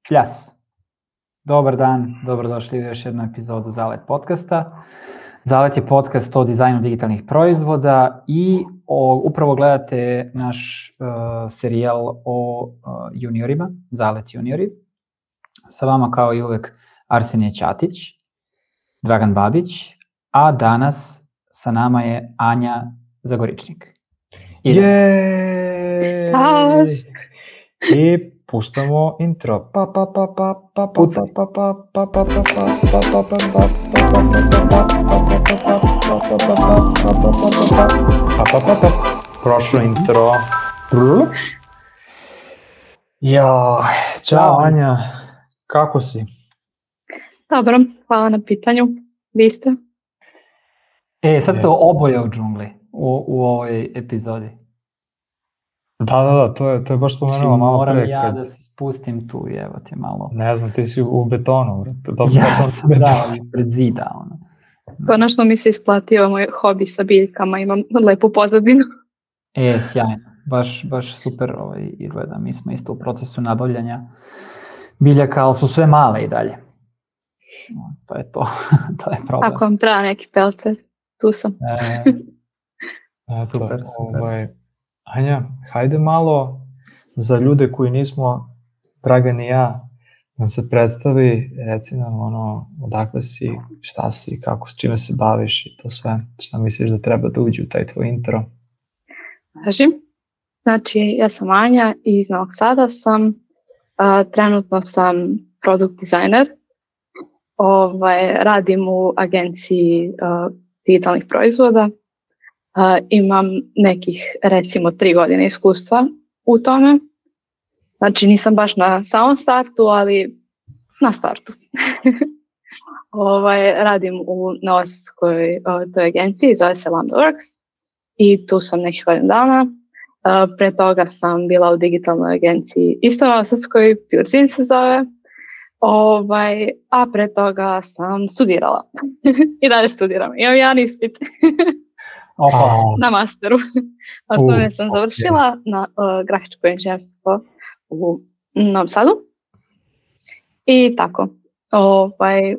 Fljas. Dobar dan, dobrodošli u još jednu epizodu Zalet podcasta. Zalet je podcast o dizajnu digitalnih proizvoda i upravo gledate naš serijal o juniorima, Zalet juniori. Sa vama kao i uvek Arsenije Ćatić, Dragan Babić, a danas sa nama je Anja Zagoričnik. Ćao! I puštamo intro. Prošlo intro. Ja, čao Anja, kako si? Dobro, hvala na pitanju. Vi ste? Sad ste oboje u džungli u ovoj epizodi. Da, to je baš spomenula malo pre. Moram ja da se spustim tu i evo ti malo. Ne znam, ti si u betonu. Ja sam ispred zida. Konačno mi se isplatio moj hobi sa biljkama, imam lepu pozadinu. Sjajno, baš super izgleda. Mi smo isto u procesu nabavljanja biljaka, ali su sve male i dalje. To je to, to je problem. Ako vam treba neki pelce, tu sam. Super. Anja, hajde malo za ljude koji nismo, Dragan i ja, nam se predstavi, reci nam odakle si, šta si, kako, s čime se baviš i to sve, šta misliš da treba da uđe u taj tvoj intro? Znači, ja sam Anja i iz Novog Sada sam, trenutno sam product designer, radim u agenciji digitalnih proizvoda. Imam nekih, recimo, 3 godine iskustva u tome. Znači, nisam baš na samom startu, ali na startu. Radim u novosadskoj toj agenciji, zove se Lambda Works i tu sam nekih godina dana. Pre toga sam bila u digitalnoj agenciji, isto novosadskoj, PureZine se zove. A pre toga sam studirala. I dalje studiram. Imam jedan ispit. Na masteru. Osnovne sam završila na grafičko inženjerstvo u Novom Sadu. I tako.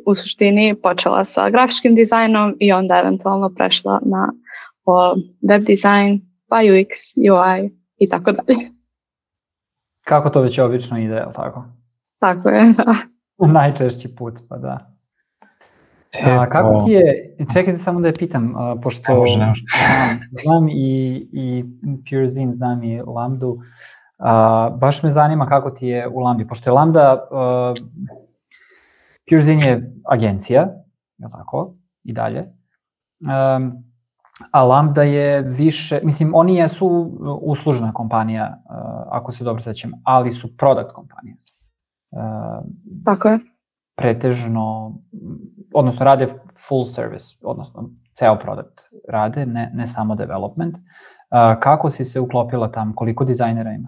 U suštini počela sa grafičkim dizajnom i onda eventualno prešla na web dizajn, pa UX, UI i tako dalje. Kako to već obično ide, ali tako? Tako je, da. Najčešći put, pa da. Kako ti je, čekajte samo da je pitam, pošto znam i PureZine, znam i Lambdu, baš me zanima kako ti je u Lambdi, pošto je Lambda, PureZine je agencija, je li tako, i dalje, a Lambda je više, mislim, oni jesu uslužna kompanija, ako se dobro sećam, ali su product kompanija. Tako je. Pretežno, odnosno rade full service, odnosno ceo produkt rade, ne samo development. Kako si se uklopila tamo? Koliko dizajnera ima?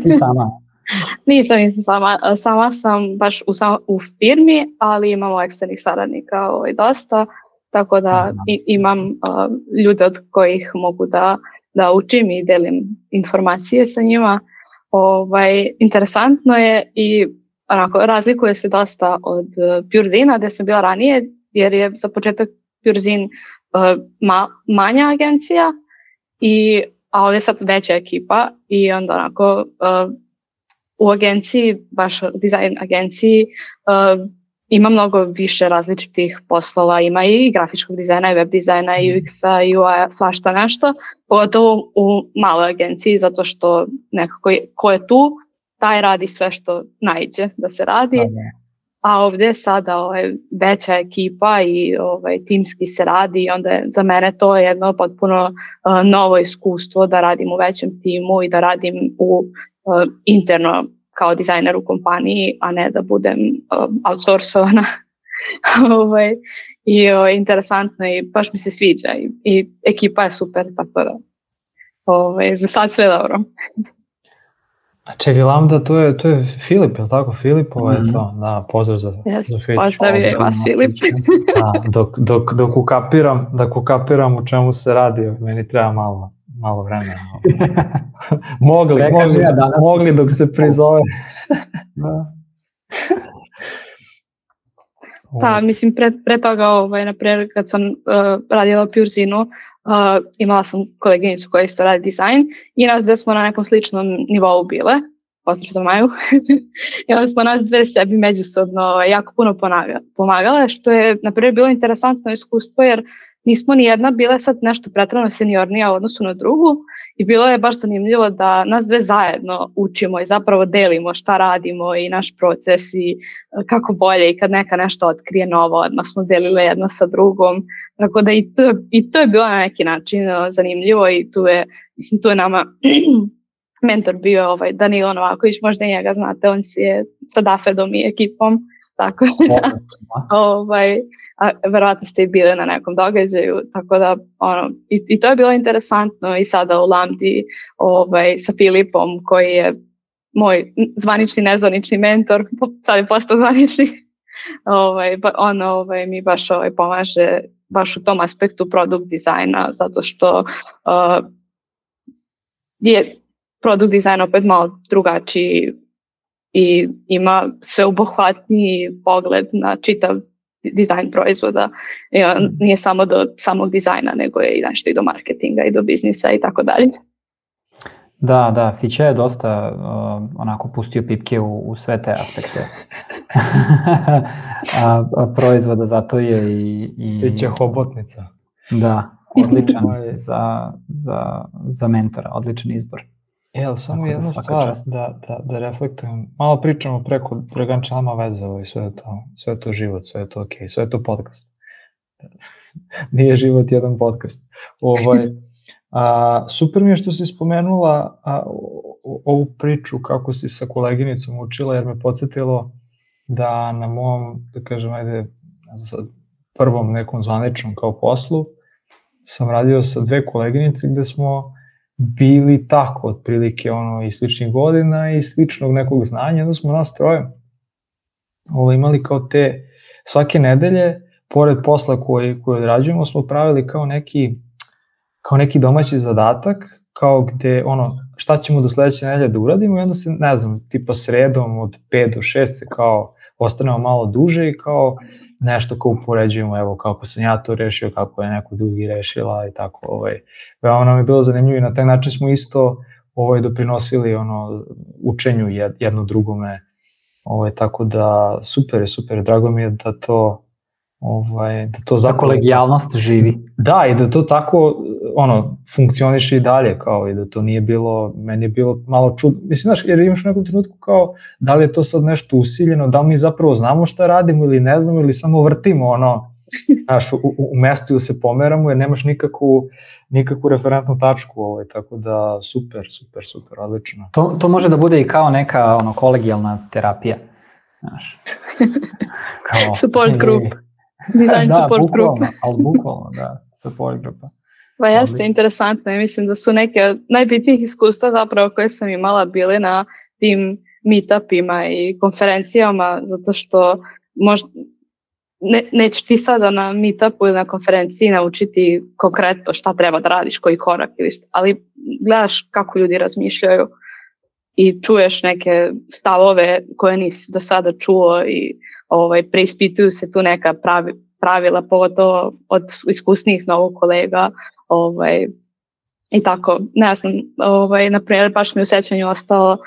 Ti sama? Nisam sama. Sama sam baš u firmi, ali imamo eksternih saradnika dosta, tako da imam ljude od kojih mogu da učim i delim informacije sa njima. Interesantno je i razlikuje se dosta od PureZine-a gde sam bila ranije, jer je za početak PureZine manja agencija, a ovdje je sad veća ekipa i onda u agenciji, baš dizajn agenciji, ima mnogo više različitih poslova, ima i grafičkog dizajna, i web dizajna, i UX-a, i UI-a, svašta nešto, pogotovo u maloj agenciji, zato što nekako ko je tu, taj radi sve što naiđe da se radi, a ovdje sada veća ekipa i timski se radi i onda je za mene to jedno potpuno novo iskustvo da radim u većem timu i da radim interno kao dizajner u kompaniji, a ne da budem outsourcovana. I interesantno i baš mi se sviđa i ekipa je super, tako da za sad sve dobro. A čekaj, Lambda, to je Filip, je li tako? Filipova je to? Da, pozdrav za Filip. Pozdravljaj vas, Filip. Dok ukapiram u čemu se radi, meni treba malo malo vremena. mogli dok se prizove. Da. Da, mislim, pre toga, naprimjer, kad sam radila u Purzinu, imala sam koleginicu koja isto radi dizajn i nas dve smo na nekom sličnom nivou bile, pozdrav za Maju, i onda smo nas dve sebi međusobno jako puno pomagale, što je, naprimjer, bilo interesantno iskustvo, jer nismo ni jedna bile sad nešto pretrano seniornija u odnosu na drugu i bilo je baš zanimljivo da nas dve zajedno učimo i zapravo delimo šta radimo i naš proces i kako bolje i kad neka nešto otkrije novo, odmah smo delile jedna sa drugom, tako da i to je bilo na neki način zanimljivo i tu je nama mentor bio Danilo Novaković, možda i njega znate, on si je sa Dafedom i ekipom, tako da verovatno ste i bili na nekom događaju, tako da i to je bilo interesantno i sada u Lambdi sa Filipom koji je moj zvanični, nezvanični mentor, sad je postao zvanični, on mi baš pomaže baš u tom aspektu produkt dizajna, zato što je produkt dizajn opet malo drugačiji i ima sveobuhvatniji pogled na čitav dizajn proizvoda. Nije samo do samog dizajna, nego je i nešto i do marketinga i do biznisa i tako dalje. Da, Fiće je dosta onako pustio pipke u sve te aspekte proizvoda, zato je i Fiće hobotnica. Da, odličan za mentora, odličan izbor. Samo jedna stvar da reflektujem. Malo pričamo preko Dragan Čalma veze, sve je to život, sve je to okej, sve je to podcast. Nije život jedan podcast. Super mi je što si spomenula ovu priču kako si sa koleginicom učila, jer me podsjetilo da na mom, da kažem, prvom nekom zvaničnom kao poslu sam radio sa dve koleginice gde smo bili tako, otprilike i sličnih godina i sličnog nekog znanja, onda smo nas troje imali kao te svake nedelje, pored posla koji odrađujemo, smo pravili kao neki domaći zadatak, kao gde šta ćemo do sledeće nedelje da uradimo i onda se, ne znam, tipa sredom od 5 do 6 se kao ostanemo malo duže i kao nešto kao upoređujemo, evo kako sam ja to rešio, kako je neko drugi rešila i tako. Veoma nam je bilo zanimljivo i na taj način smo isto doprinosili učenju jedno drugome. Tako da super je, drago mi je da to zapravo... kolegijalnost živi. Da, i da to tako funkcioniše i dalje, kao i da to nije bilo, meni je bilo malo čudno. Mislim, znaš, jer imaš u nekom trenutku kao, da li je to sad nešto usiljeno, da li mi zapravo znamo šta radimo ili ne znamo ili samo vrtimo znaš, u mestu ili se pomeramo, jer nemaš nikakvu referentnu tačku, tako da super, odlično. To može da bude i kao neka kolegijalna terapija, znaš. Support group. Design support group. Ali bukvalno, da, support grupa. Pa jeste, interesantno i mislim da su neke od najbitnijih iskustva zapravo koje sam imala bile na tim meetupima i konferencijama, zato što možda nećeš ti sada na meetupu ili na konferenciji naučiti konkretno šta treba da radiš, koji korak ili šta, ali gledaš kako ljudi razmišljaju i čuješ neke stavove koje nisi do sada čuo i preispituju se tu neka pravila, pogotovo od iskusnijih novog kolega i tako, ne znam, na primjer baš mi u sećanju ostalo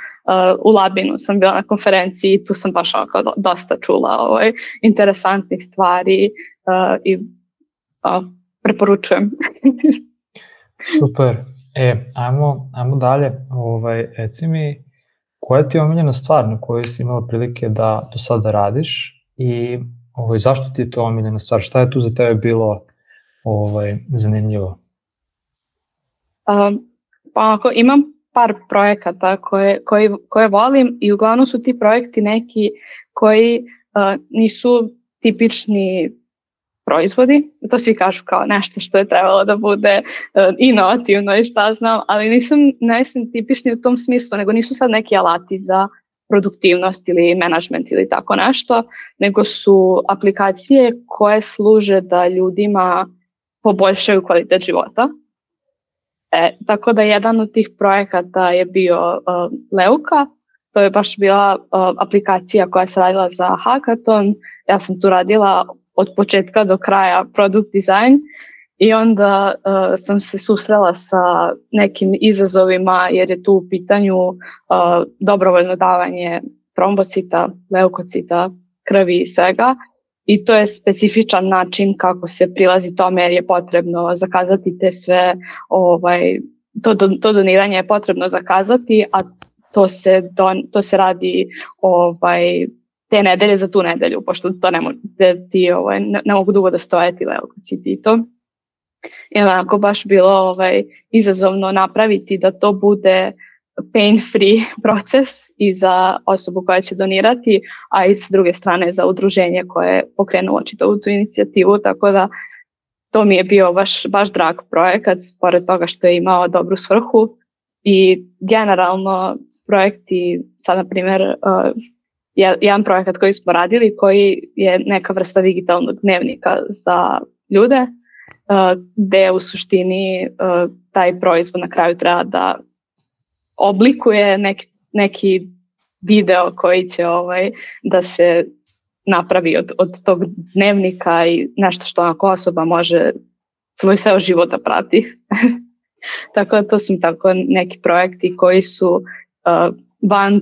u Labinu sam bila na konferenciji i tu sam baš dosta čula interesantnih stvari i preporučujem. Super. Ajmo dalje. Reci mi, koja ti je omiljena stvar na kojoj si imala prilike da do sada radiš i zašto ti je to omiljena stvar? Šta je tu za tebe bilo zanimljivo? Pa ako imam par projekata koje volim i uglavnom su ti projekti neki koji nisu tipični proizvodi, to svi kažu kao nešto što je trebalo da bude inovativno i šta znam, ali nisam tipični u tom smislu, nego nisu sad neki alati za produktivnost ili menadžment ili tako nešto, nego su aplikacije koje služe da ljudima poboljšaju kvalitet života. Tako da jedan od tih projekata je bio Leuka. To je baš bila aplikacija koja se radila za hackathon. Ja sam tu radila od početka do kraja product design i onda sam se susrela sa nekim izazovima jer je tu u pitanju dobrovoljno davanje trombocita, leukocita, krvi i svega. I to je specifičan način kako se prilazi tome jer je potrebno zakazati te sve, to doniranje je potrebno zakazati, a to se radi te nedelje za tu nedelju, pošto to ne mogu dugo da stoje ti leukociti i to. I onako baš bilo izazovno napraviti da to bude pain-free proces i za osobu koja će donirati, a i s druge strane za udruženje koje je pokrenulo čitavu tu inicijativu, tako da to mi je bio baš drag projekat, pored toga što je imao dobru svrhu. I generalno projekti, sad na primjer jedan projekat koji smo radili koji je neka vrsta digitalnog dnevnika za ljude, gde u suštini taj proizvod na kraju treba da oblikuje neki video koji će da se napravi od tog dnevnika i nešto što onako osoba može svoj ceo život da prati. Tako da to su tako neki projekti koji su van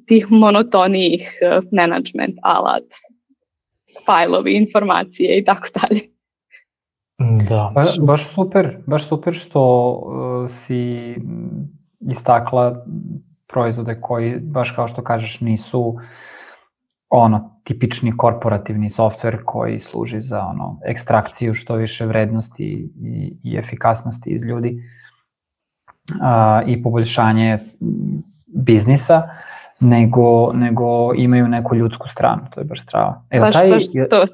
tih monotonijih management alat, fajlovi, informacije i tako dalje. Da, baš super što si istakla proizvode koji, baš kao što kažeš, nisu tipični korporativni softver koji služi za ekstrakciju što više vrednosti i efikasnosti iz ljudi i poboljšanje biznisa, nego imaju neku ljudsku stranu, to je baš strava.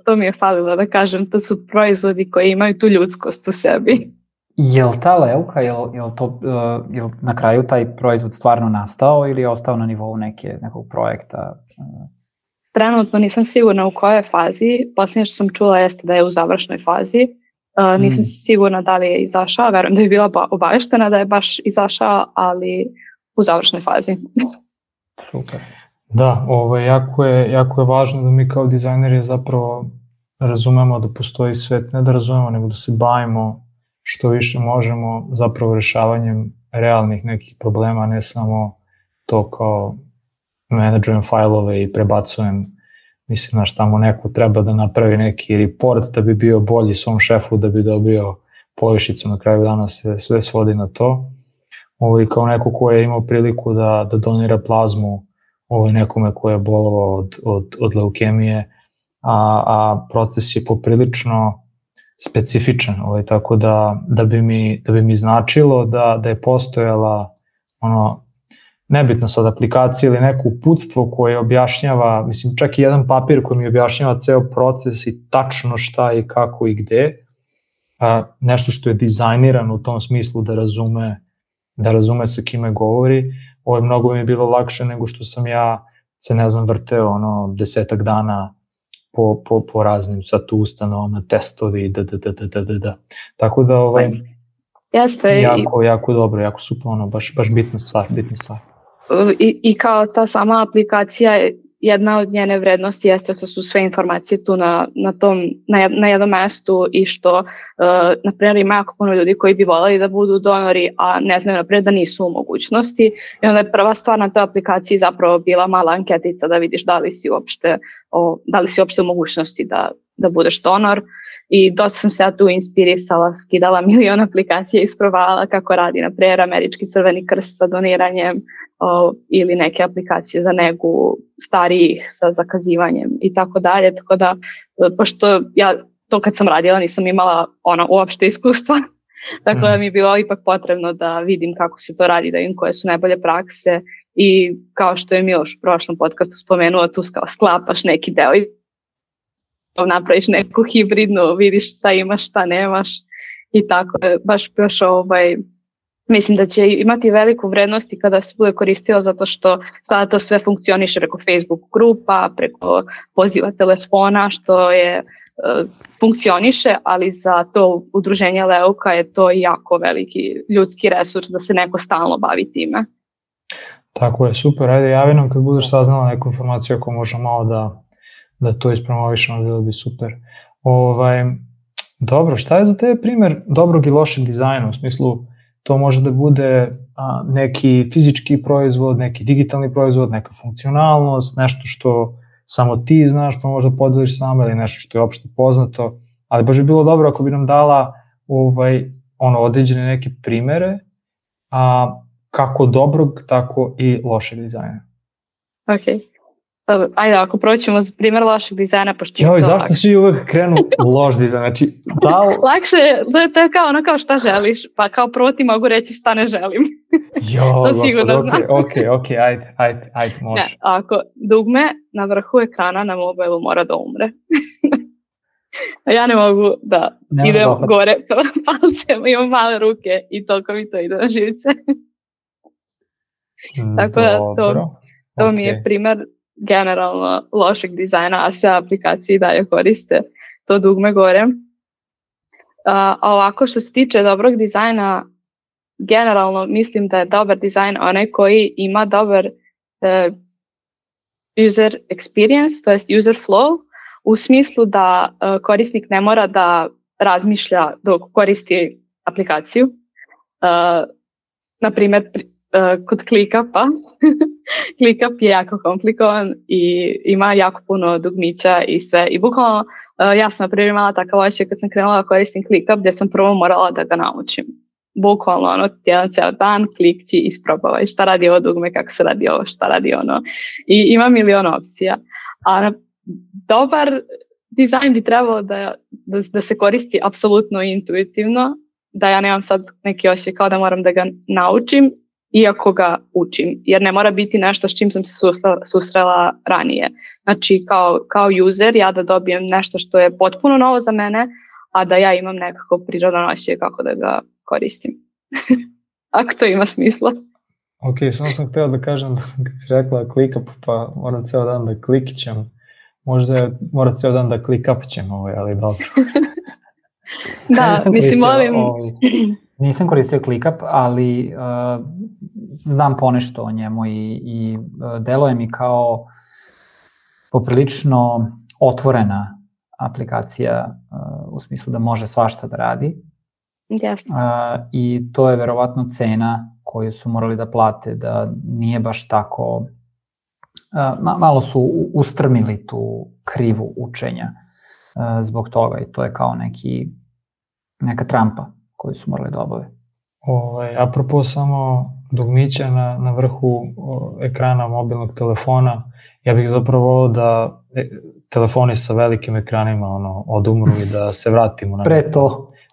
To mi je falilo da kažem, to su proizvodi koji imaju tu ljudskost u sebi. Jel ta Leuka, jel na kraju taj proizvod stvarno nastao ili je ostao na nivou nekog projekta? Trenutno nisam sigurna u kojoj fazi, posljednje što sam čula jeste da je u završnoj fazi. Nisam sigurna da li je izašao, verujem da je bila obaveštena da je baš izašao, ali u završnoj fazi. Super. Da, jako je važno da mi kao dizajneri zapravo razumemo da postoji svet, ne da razumemo, nego da se bavimo što više možemo zapravo rešavanjem realnih nekih problema, ne samo to kao menadžujem fajlove i prebacujem, mislim, tamo neko treba da napravi neki report da bi bio bolji svom šefu, da bi dobio povišicu, na kraju dana se sve svodi na to. Kao neko ko je imao priliku da donira plazmu nekome ko je bolovao od leukemije, a proces je poprilično specifičan, tako da bi mi značilo da je postojala nebitno sad aplikacija ili neko uputstvo koje objašnjava, mislim čak i jedan papir koji mi objašnjava ceo proces i tačno šta i kako i gde, nešto što je dizajnirano u tom smislu da razume sa kime govori. Ovo je mnogo mi je bilo lakše nego što sam ja se vrteo 10 dana po raznim sad ustanovama, testovi, tako da jako dobro, jako super, baš bitna stvar. I kao ta sama aplikacija, jedna od njene vrednosti jeste što su sve informacije tu na jednom mestu i što, na primjer, ima jako puno ljudi koji bi voljeli da budu donori, a ne znaju naprijed da nisu u mogućnosti. I onda je prva stvar na toj aplikaciji zapravo bila mala anketica da vidiš da li si uopšte u mogućnosti da budeš donor. I dosta sam se ja tu inspirisala, skidala milion aplikacija i isprovala kako radi, na primjer, Američki Crveni krst sa doniranjem ili neke aplikacije za negu starijih sa zakazivanjem i tako dalje. Tako da, pošto ja to kad sam radila nisam imala uopšte iskustva, tako da mi je bilo ipak potrebno da vidim kako se to radi, da vidim koje su najbolje prakse i kao što je Miloš u prošlom podcastu spomenuo, tu sklapaš neki deo i napraviš neku hibridnu, vidiš šta imaš, šta nemaš i tako. Baš mislim da će imati veliku vrednost i kada se bude koristilo, zato što sada to sve funkcioniše preko Facebook grupa, preko poziva telefona, što je funkcioniše, ali za to udruženje Leuka je to jako veliki ljudski resurs da se neko stalno bavi time. Tako je, super, ajde javi nam kad budeš saznala neku informaciju ako možemo malo da to ispromovišemo, bilo bi super. Dobro, šta je za tebe primjer dobrog i lošeg dizajna? U smislu, to može da bude neki fizički proizvod, neki digitalni proizvod, neka funkcionalnost, nešto što samo ti znaš, pa možda podeliš sama ili nešto što je opšte poznato, ali baš bi bilo dobro ako bi nam dala određene neke primere, kako dobrog, tako i lošeg dizajna. Ok. Ajde, ako proćemo za primjer lošeg dizajna, pošto Joj, zašto svi uvek krenu loš dizajn? Znači, lakše je, to je kao šta želiš, pa kao prvo ti mogu reći šta ne želim. Ok, ajde, može. Ne, ako dugme na vrhu ekrana na mobilu mora da umre. Ja ne mogu da idem gore palcem, imam male ruke i toliko mi to ide na živce. Tako da to mi je primjer generalno lošeg dizajna, a sve aplikacije dalje koriste to dugme gore. A ovako što se tiče dobrog dizajna, generalno mislim da je dobar dizajn onaj koji ima dobar user experience, to jest user flow, u smislu da korisnik ne mora da razmišlja dok koristi aplikaciju. Na primjer, kod ClickUp-a. ClickUp je jako komplikovan i ima jako puno dugmića i sve. I bukvalno, ja sam na primjer imala takav osjećaj kad sam krenula da koristim ClickUp, gdje sam prvo morala da ga naučim. Bukvalno, jedan ceo dan, klikći, isprobavaj šta radi ovo dugme, kako se radi ovo, šta radi ono. I ima milion opcija. A dobar dizajn bi trebalo da se koristi apsolutno intuitivno, da ja nemam sad neki osjećaj kao da moram da ga naučim, iako ga učim, jer ne mora biti nešto s čim sam se susrela ranije. Znači, kao user, ja da dobijem nešto što je potpuno novo za mene, a da ja imam nekako prirodan osjećaj kako da ga koristim. Ako to ima smisla. Ok, samo sam htio da kažem, kad si rekla ClickUp, pa moram ceo dan da klikćem. Možda mora ceo dan da ClickUpćem, ali dobro. Da, mislim, molim... Nisam koristio ClickUp, ali znam ponešto o njemu i deluje mi kao poprilično otvorena aplikacija u smislu da može svašta da radi. I to je verovatno cena koju su morali da plate, da nije baš tako, malo su ustrmili tu krivu učenja zbog toga i to je kao neka trampa koju su morali da obave. Apropo samo dugmića na vrhu ekrana mobilnog telefona, ja bih zapravo volio da telefoni sa velikim ekranima odumru i da se vratimo na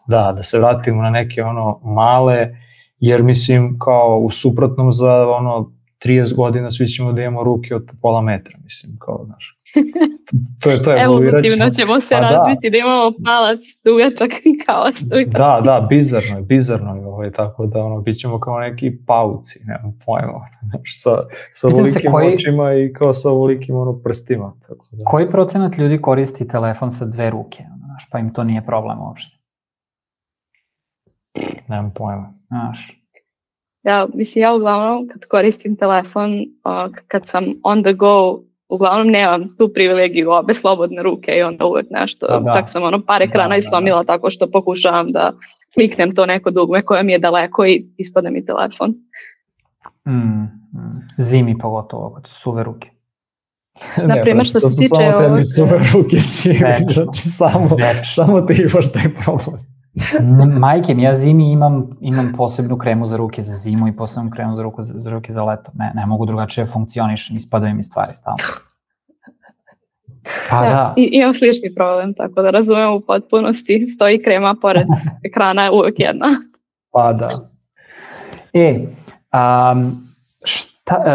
da se vratimo na neke male, jer mislim kao u suprotnom za 30 godina svi ćemo da imamo ruke od pola metra, mislim, kao, znaš. To je evolutivno ćemo se razviti, da imamo palac dugačak kao stoji. Da, bizarno je, tako da bit ćemo kao neki pauci, nemam pojma, sa ovolikim očima i kao sa ovolikim prstima. Tako da. Koji procenat ljudi koristi telefon sa 2 ruke, znaš, pa im to nije problem uopšte? Nemam pojma. Znaš. Ja uglavnom kad koristim telefon, kad sam on the go, uglavnom nemam tu privilegiju obe slobodne ruke i onda uvek nešto, čak sam par ekrana islomila tako što pokušavam da kliknem to neko dugme koje mi je daleko i ispadne mi telefon. Zimi pogotovo, kad su suve ruke. Naprimjer, što se tiče... Samo tebi suve ruke zimi, znači samo ti imaš taj problem. Majke mi, ja zimi imam posebnu kremu za ruke za zimu i posebnu kremu za ruke za leto. Ne mogu drugačije funkcionišem, ispadaju mi stvari stalno. Da. Imam slični problem, tako da razumem u potpunosti. Stoji krema pored ekrana, uvek jedna. Pa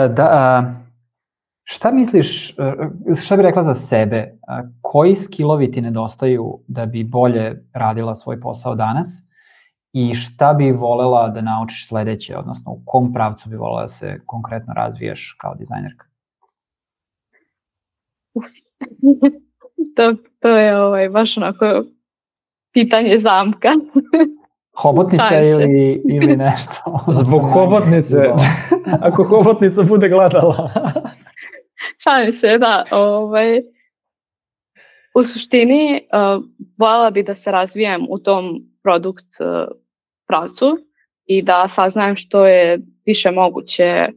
da. Šta misliš, šta bi rekla za sebe, koji skillovi ti nedostaju da bi bolje radila svoj posao danas i šta bi volela da naučiš sledeće, odnosno u kom pravcu bi volela da se konkretno razvijaš kao dizajnerka? To je baš onako pitanje zamka. Hobotnica ili nešto? Zbog hobotnice. Ako hobotnica bude gledala. Šalim se, da. U suštini, voljela bi da se razvijem u tom produkt pravcu i da saznajem što je više moguće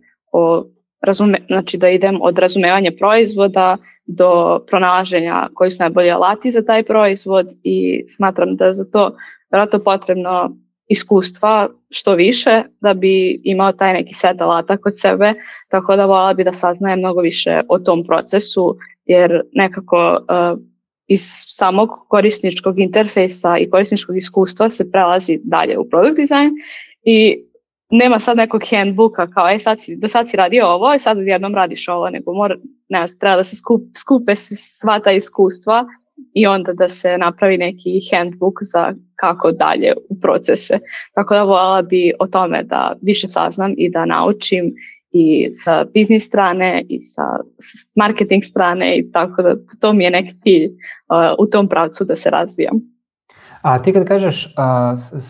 znači da idem od razumevanja proizvoda do pronalaženja koji su najbolji alati za taj proizvod i smatram da za to vjerojatno potrebno iskustva što više da bi imao taj neki set alata kod sebe, tako da voljela bi da saznajem mnogo više o tom procesu, jer nekako iz samog korisničkog interfejsa i korisničkog iskustva se prelazi dalje u product design i nema sad nekog handbooka kao do sad si radio ovo i sad jednom radiš ovo, nego treba da se skupe sva ta iskustva i onda da se napravi neki handbook za kako dalje u procese. Tako da voljela bi o tome da više saznam i da naučim i sa biznis strane i sa marketing strane i tako da to mi je neki cilj u tom pravcu da se razvijam. A ti kad kažeš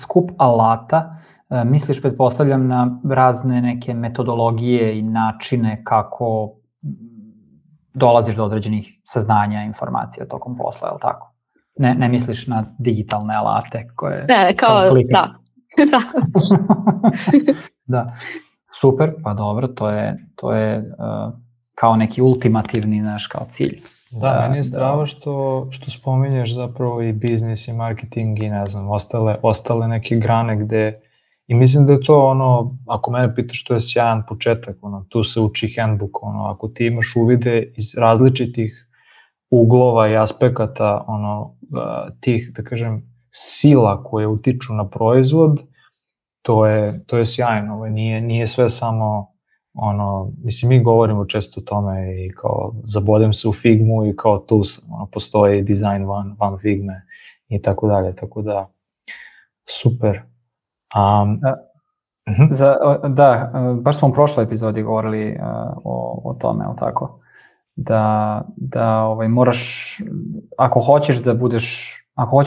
skup alata, misliš, pretpostavljam, na razne neke metodologije i načine kako dolaziš do određenih saznanja, informacija tokom posla, je li tako? Ne misliš na digitalne alate koje... Ne, kao, da. Da, super, pa dobro, to je kao neki ultimativni naš kao cilj. Da, meni je strava što spominješ zapravo i biznis i marketing i ne znam, ostale neke grane gde, i mislim da je to ono, ako mene pitaš, što je sjajan početak, ono, tu se uči handbook, ono, ako ti imaš uvide iz različitih uglova i aspekata, ono, tih, da kažem, sila koje utiču na proizvod, to je sjajno, nije sve samo, ono, mislim, mi govorimo često o tome i kao zabodem se u Figmu i kao tu ono, postoji dizajn van Figme i tako dalje, tako da super. Da, baš smo u prošloj epizodi govorili o tome, ali tako? Da moraš, ako hoćeš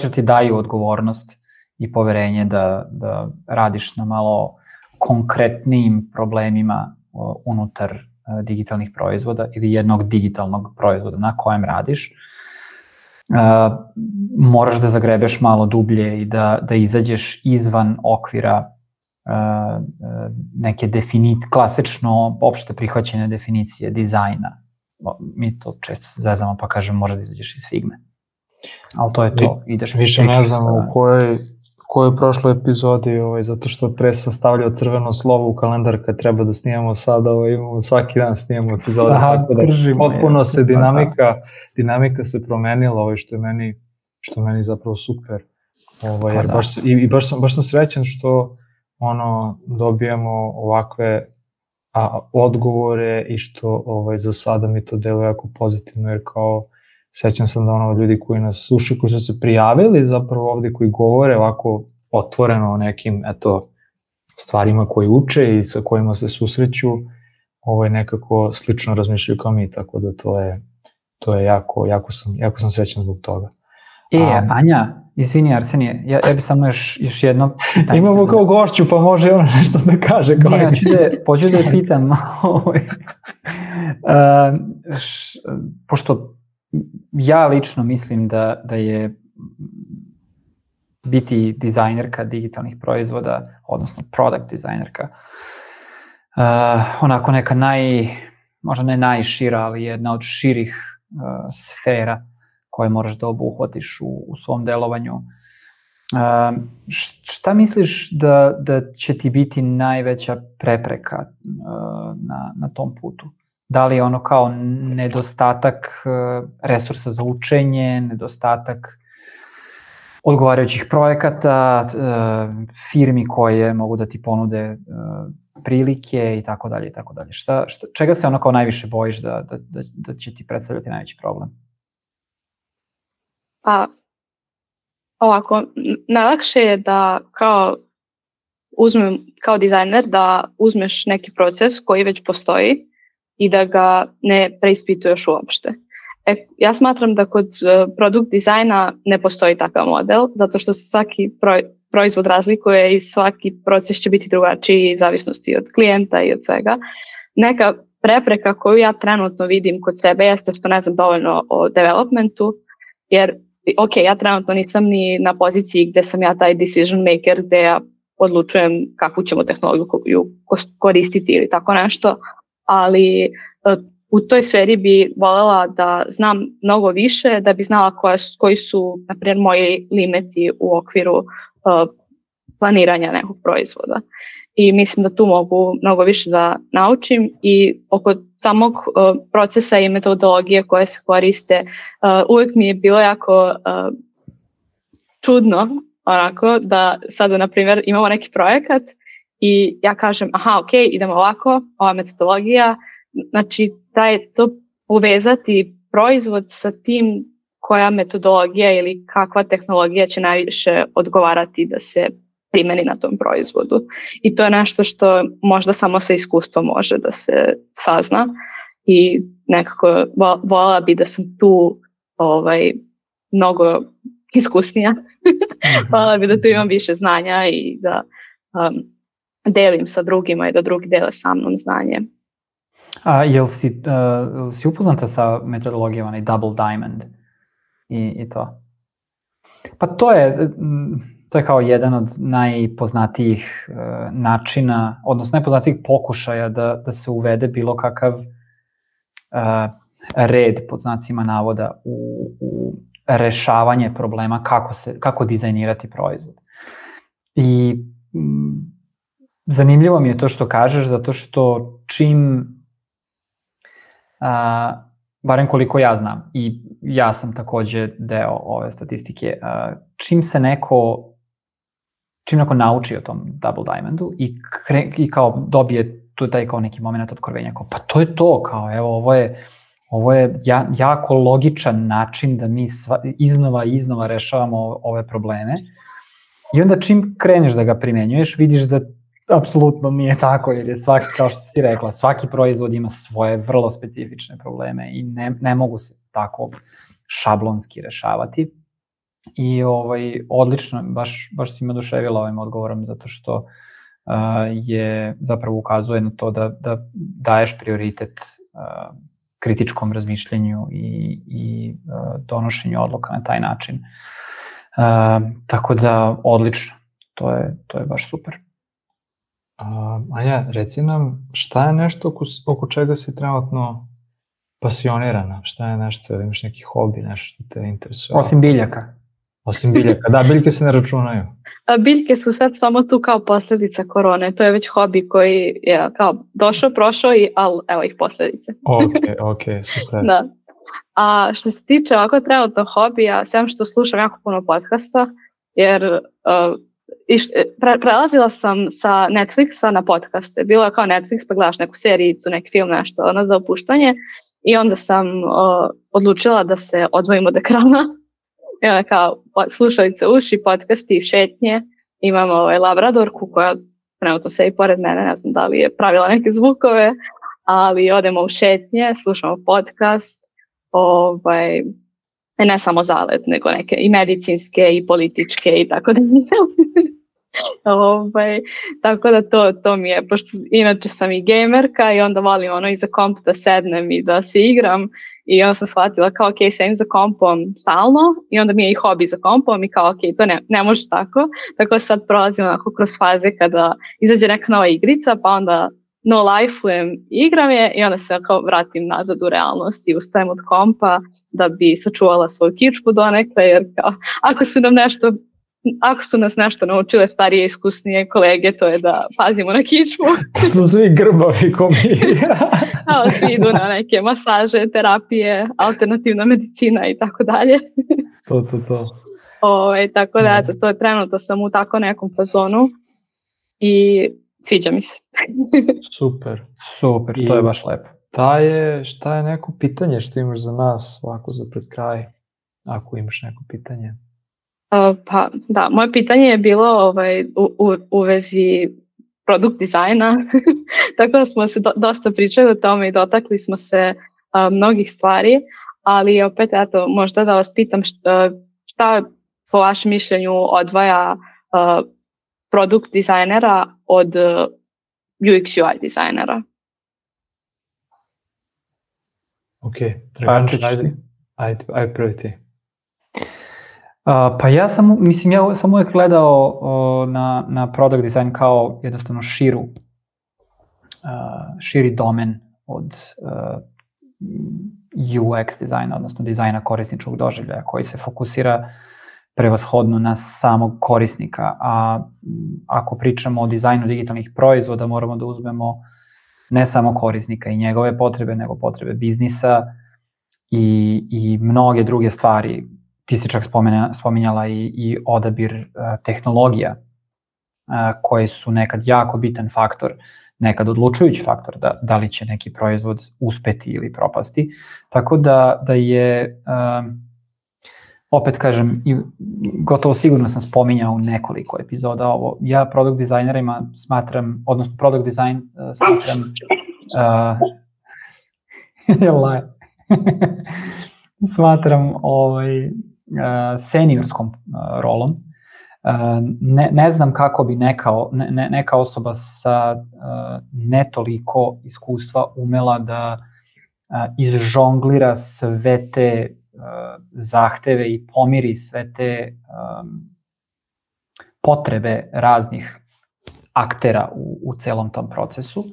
da ti daju odgovornost i poverenje da radiš na malo konkretnijim problemima unutar digitalnih proizvoda ili jednog digitalnog proizvoda na kojem radiš, moraš da zagrebeš malo dublje i da izađeš izvan okvira neke klasično opšte prihvaćene definicije dizajna. Mi to često se zezamo pa kažem možda da izađeš iz Figme. Ali to je to. Ideš više ne znam u kojoj prošloj epizodi, zato što pre sam stavljao crveno slovo u kalendar kad treba da snimamo sada, imamo svaki dan snimamo epizode. Tako da potpuno se dinamika se promenila, što je meni zapravo super. Jer baš sam srećan što dobijamo ovakve odgovore i što za sada mi to deluje jako pozitivno, jer kao sećam sam da ljudi koji nas slušaju, koji su se prijavili zapravo ovde, koji govore ovako otvoreno o nekim stvarima koje uče i sa kojima se susreću, nekako slično razmišljaju kao mi, tako da to je jako sam srećan zbog toga. Anja, izvini Arsenije, ja bi samo još jedno pitanje. Imamo kao gošću, pa može ona nešto da kaže. Pođu da je pitam. Pošto ja lično mislim da je biti dizajnerka digitalnih proizvoda, odnosno product dizajnerka, onako neka možda ne najšira, ali jedna od širih sfera koje moraš da obuhvatiš u svom delovanju. Šta misliš da će ti biti najveća prepreka na tom putu? Da li je ono kao nedostatak resursa za učenje, nedostatak odgovarajućih projekata, firmi koje mogu da ti ponude prilike i tako dalje i tako dalje. Čega se ono kao najviše bojiš da će ti predstavljati najveći problem? Pa, ovako, najlakše je da kao dizajner da uzmeš neki proces koji već postoji i da ga ne preispituješ uopšte. Ja smatram da kod produkt dizajna ne postoji takav model, zato što se svaki proizvod razlikuje i svaki proces će biti drugačiji, zavisnosti od klijenta i od svega. Neka prepreka koju ja trenutno vidim kod sebe jeste što ne znam dovoljno o developmentu, jer ja trenutno nisam ni na poziciji gdje sam ja taj decision maker, gdje ja odlučujem kakvu ćemo tehnologiju koristiti ili tako nešto, ali u toj sferi bi voljela da znam mnogo više, da bi znala koji su, na primjer, moji limiti u okviru planiranja nekog proizvoda. I mislim da tu mogu mnogo više da naučim i oko samog procesa i metodologije koje se koriste, uvijek mi je bilo jako čudno onako da sada, na primjer, imamo neki projekat i ja kažem, idemo ovako, ova metodologija, znači to uvezati proizvod sa tim koja metodologija ili kakva tehnologija će najviše odgovarati da se primjeni na tom proizvodu. I to je nešto što možda samo sa iskustvom može da se sazna i nekako voljela bi da sam tu mnogo iskusnija. Voljela bi da tu imam više znanja i da delim sa drugima i da drugi dele sa mnom znanje. Jel si upoznata sa metodologijom onaj Double Diamond i to? Pa to je kao jedan od najpoznatijih načina, odnosno najpoznatijih pokušaja da se uvede bilo kakav red, pod znacima navoda, u rešavanje problema kako dizajnirati proizvod. I zanimljivo mi je to što kažeš, zato što čim, barem koliko ja znam, i ja sam takođe deo ove statistike, čim neko nauči o tom Double Diamondu i kao dobije tu taj kao neki moment otkrovenja, kao pa to je to, kao evo ovo je jako logičan način da mi iznova rešavamo ove probleme. I onda čim kreneš da ga primenjuješ, vidiš da apsolutno nije tako, jer je svaki, kao što si rekla, svaki proizvod ima svoje vrlo specifične probleme i ne mogu se tako šablonski rešavati. I odlično, baš si me oduševila ovim odgovorom, zato što je zapravo ukazuje na to da daješ prioritet kritičkom razmišljanju i donošenju odluka na taj način. Tako da, odlično, to je baš super. Anja, reci nam, šta je nešto oko čega si trenutno pasionirana? Šta je nešto, ili imaš neki hobi, nešto što te interesuje? Osim biljaka. Osim biljaka, da, biljke se ne računaju. Biljke su sad samo tu kao posljedica korone, to je već hobi koji je kao došao, prošao, ali evo ih posljedice. Ok, super. Da. A što se tiče ovako trenutno hobija, sem što slušam jako puno podcasta, jer prelazila sam sa Netflixa na podcaste. Bilo je kao Netflix, pa gledaš neku serijicu, neki film, nešto za opuštanje, i onda sam odlučila da se odvojim od ekrana. I onda kao slušalice uši, podcasti, šetnje. Imam labradorku koja trenutno se i pored mene, ne znam da li je pravila neke zvukove, ali odemo u šetnje, slušamo podcast, ne samo Zalet, nego neke i medicinske i političke i tako da. Tako da to mi je, pošto inače sam i gamerka i onda volim iza komp da sednem i da se igram, i onda sam shvatila kao sedem za kompom stalno i onda mi je i hobi za kompom i kao to ne može tako sad prolazim kroz faze kada izađe neka nova igrica, pa onda no life-ujem, igram je i onda se vratim nazad u realnost i ustajem od kompa da bi sačuvala svoju kičmu donekle, jer ako su nas nešto naučile starije i iskusnije kolege, to je da pazimo na kičmu. Su svi grbavi ko mi. Svi idu na neke masaže, terapije, alternativna medicina i tako dalje. To. Tako da, to je trenutno sam u tako nekom fazonu i sviđa mi se. Super, to je baš lepo. Šta je neko pitanje što imaš za nas ovako za pred kraj, ako imaš neko pitanje? Pa da, moje pitanje je bilo u vezi produkt dizajna, tako da smo se dosta pričali o tome i dotakli smo se mnogih stvari, ali opet, eto, možda da vas pitam šta po vašem mišljenju odvaja produkt dizajnera od UX UI dizajnera? Ok, Dragančić, ajde prvi ti. Pa ja sam uvijek gledao na product design kao jednostavno širi domen od UX dizajna, odnosno dizajna korisničkog doživljaja koji se fokusira prevashodno na samog korisnika, a ako pričamo o dizajnu digitalnih proizvoda moramo da uzmemo ne samo korisnika i njegove potrebe, nego potrebe biznisa i mnoge druge stvari. Ti si čak spominjala i odabir tehnologija koje su nekad jako bitan faktor, nekad odlučujući faktor da li će neki proizvod uspeti ili propasti. Tako da je, opet kažem, gotovo sigurno sam spominjao u nekoliko epizoda ovo. Ja product dizajnerima smatram, odnosno product design smatram smatram seniorskom rolom. Ne znam kako bi neka osoba sa ne toliko iskustva umela da izžonglira sve te zahteve i pomiri sve te potrebe raznih aktera u celom tom procesu.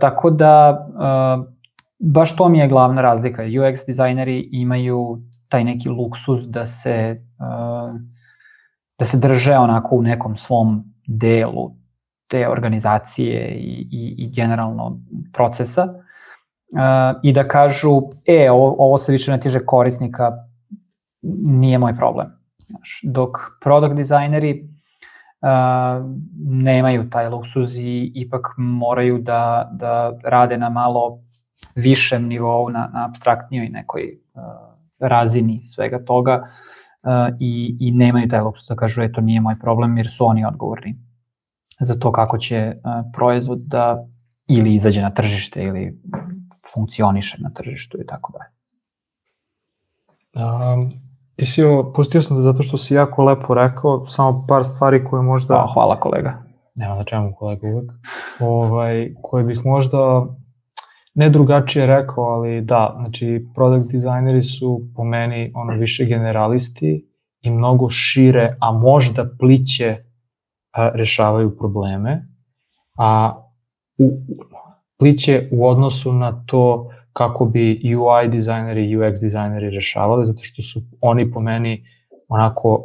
Tako da baš to mi je glavna razlika. UX dizajneri imaju taj neki luksuz da se drže onako u nekom svom delu te organizacije i generalno procesa i da kažu, ovo se više ne tiče korisnika, nije moj problem. Dok product dizajneri nemaju taj luksuz i ipak moraju da rade na malo višem nivou, na apstraktnijoj nekoj razini svega toga i nemaju taj luksuz da kažu to nije moj problem jer su oni odgovorni za to kako će proizvod da ili izađe na tržište ili funkcioniše na tržištu i tako dalje. Ti si pustio sam zato što si jako lepo rekao, samo par stvari koje možda... Hvala kolega. Nema na čemu kolega uvek. Koje bih možda ne drugačije rekao, ali da, znači product dizajneri su po meni više generalisti i mnogo šire, a možda pliće rešavaju probleme, a pliće u odnosu na to kako bi UI dizajneri i UX dizajneri rešavali, zato što su oni po meni onako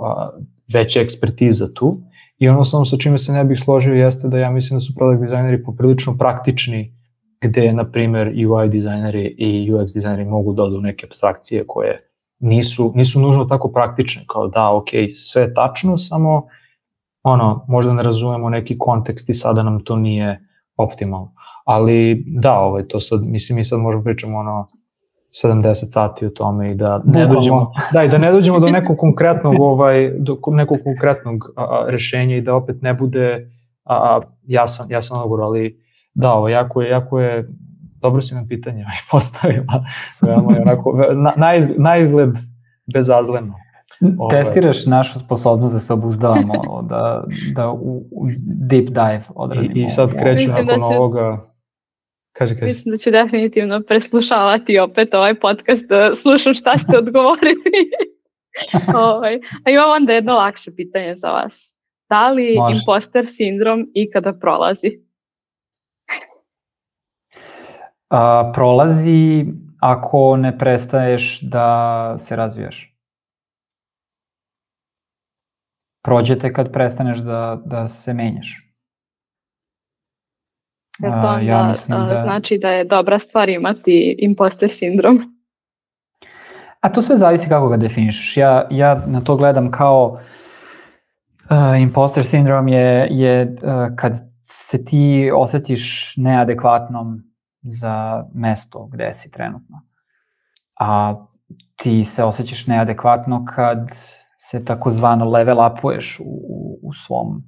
veća ekspertiza tu. I ono samo sa čime se ne bih složio jeste da ja mislim da su product dizajneri poprilično praktični, gde, na primer, UI dizajneri i UX dizajneri mogu da odu neke apstrakcije koje nisu nužno tako praktične, kao da, ok, sve je tačno, samo možda ne razumemo neki kontekst i sada nam to nije optimalno. Ali da, to sad, mislim, mi sad možemo pričamo 70 sati o tome i da ne dođemo do nekog konkretnog rešenja i da opet ne bude jasan odgovor, ali da, jako je, dobro si nam pitanje postavila, na izgled bezazleno. Testiraš našu sposobnost da se obuzdavamo, da u deep dive odradimo. I sad kreću nakon ovoga. Kaži. Mislim da ću definitivno preslušavati opet ovaj podcast, da slušam šta ste odgovorili. A imam onda jedno lakše pitanje za vas. Da li imposter sindrom ikada prolazi? Prolazi ako ne prestaješ da se razvijaš. Prođete kad prestaneš da se menjaš. Jer to onda znači da je dobra stvar imati imposter sindrom? A to sve zavisi kako ga definišeš. Ja na to gledam kao imposter sindrom je kad se ti osjetiš neadekvatnom za mesto gde si trenutno. A ti se osjećaš neadekvatno kad se takozvano level upuješ u svom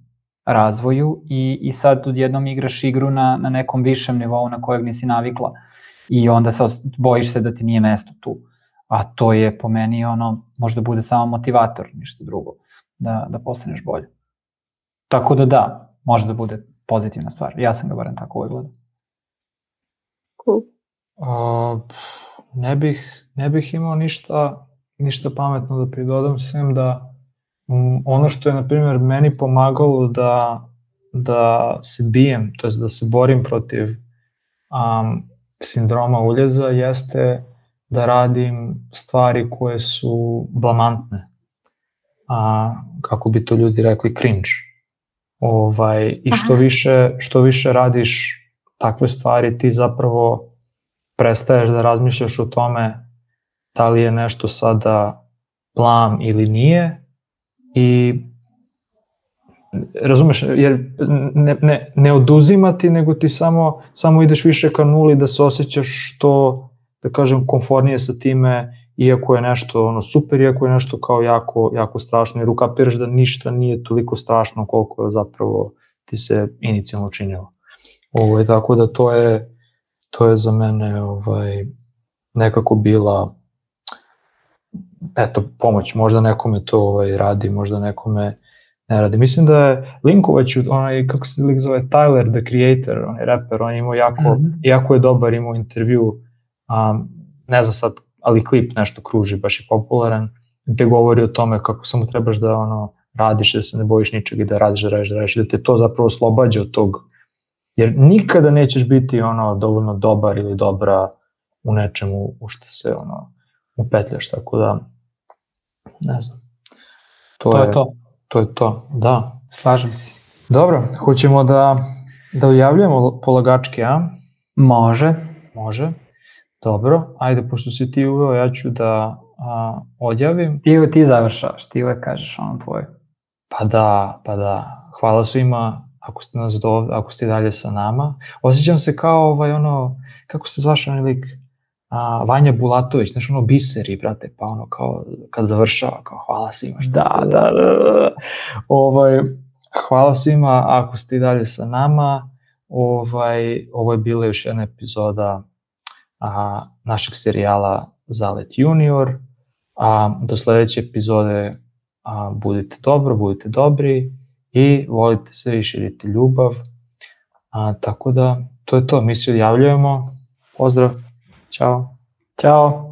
razvoju i sad odjednom igraš igru na nekom višem nivou na kojeg nisi navikla i onda bojiš se da ti nije mesto tu. a to je po meni možda bude samo motivator, ništa drugo, da postaneš bolje. Tako da, može da bude pozitivna stvar. Ja sam ga barem tako uvijek gledao. Cool. Ne bih imao ništa pametno da pridodam, sem da ono što je, na primjer, meni pomagalo da se bijem, to je da se borim protiv sindroma uljeza, jeste da radim stvari koje su blamantne. Kako bi to ljudi rekli, cringe. I što više radiš takve stvari, ti zapravo prestaješ da razmišljaš o tome da li je nešto sada blam ili nije, i razumeš, jer ne oduzimati, nego ti samo ideš više ka nuli, da se osjećaš što, da kažem, konfornije sa time, iako je nešto super, iako je nešto kao jako strašno, jer ukapiraš da ništa nije toliko strašno koliko je zapravo ti se inicijalno činilo. Tako da to je za mene nekako bila pomoć. Možda nekome to radi, možda nekome ne radi. Mislim da je Linkovac, kako se lik zove, Tyler, the Creator, on je rapper, on je imao jako je dobar, imao intervju, ne znam sad, ali klip nešto kruži, baš je popularan, gde govori o tome kako samo trebaš da radiš, da se ne bojiš ničeg i da radiš, da te to zapravo oslobađa od tog, jer nikada nećeš biti dovoljno dobar ili dobra u nečemu u što se upetljaš, tako da ne znam. To je to, da. Slažem se. Dobro, hoćemo da ujavljujemo polagačke, a? Može. Dobro, ajde, pošto si ti uveo, ja ću da odjavim. Ti završavaš, ti uvek kažeš tvoje. Pa da. Hvala svima ako ste dalje sa nama. Osjećam se kao kako se zvaš onaj lik? Vanja Bulatović, znaš, biseri, brate, pa kao kad završava, kao hvala svima što ste... Da. Hvala svima ako ste i dalje sa nama. Ovo je bila još jedna epizoda našeg serijala Zalet Junior. Do sledeće epizode budite dobri i volite se i širite ljubav. Tako da, to je to. Mi se odjavljujemo. Pozdrav. Ćao. Ćao.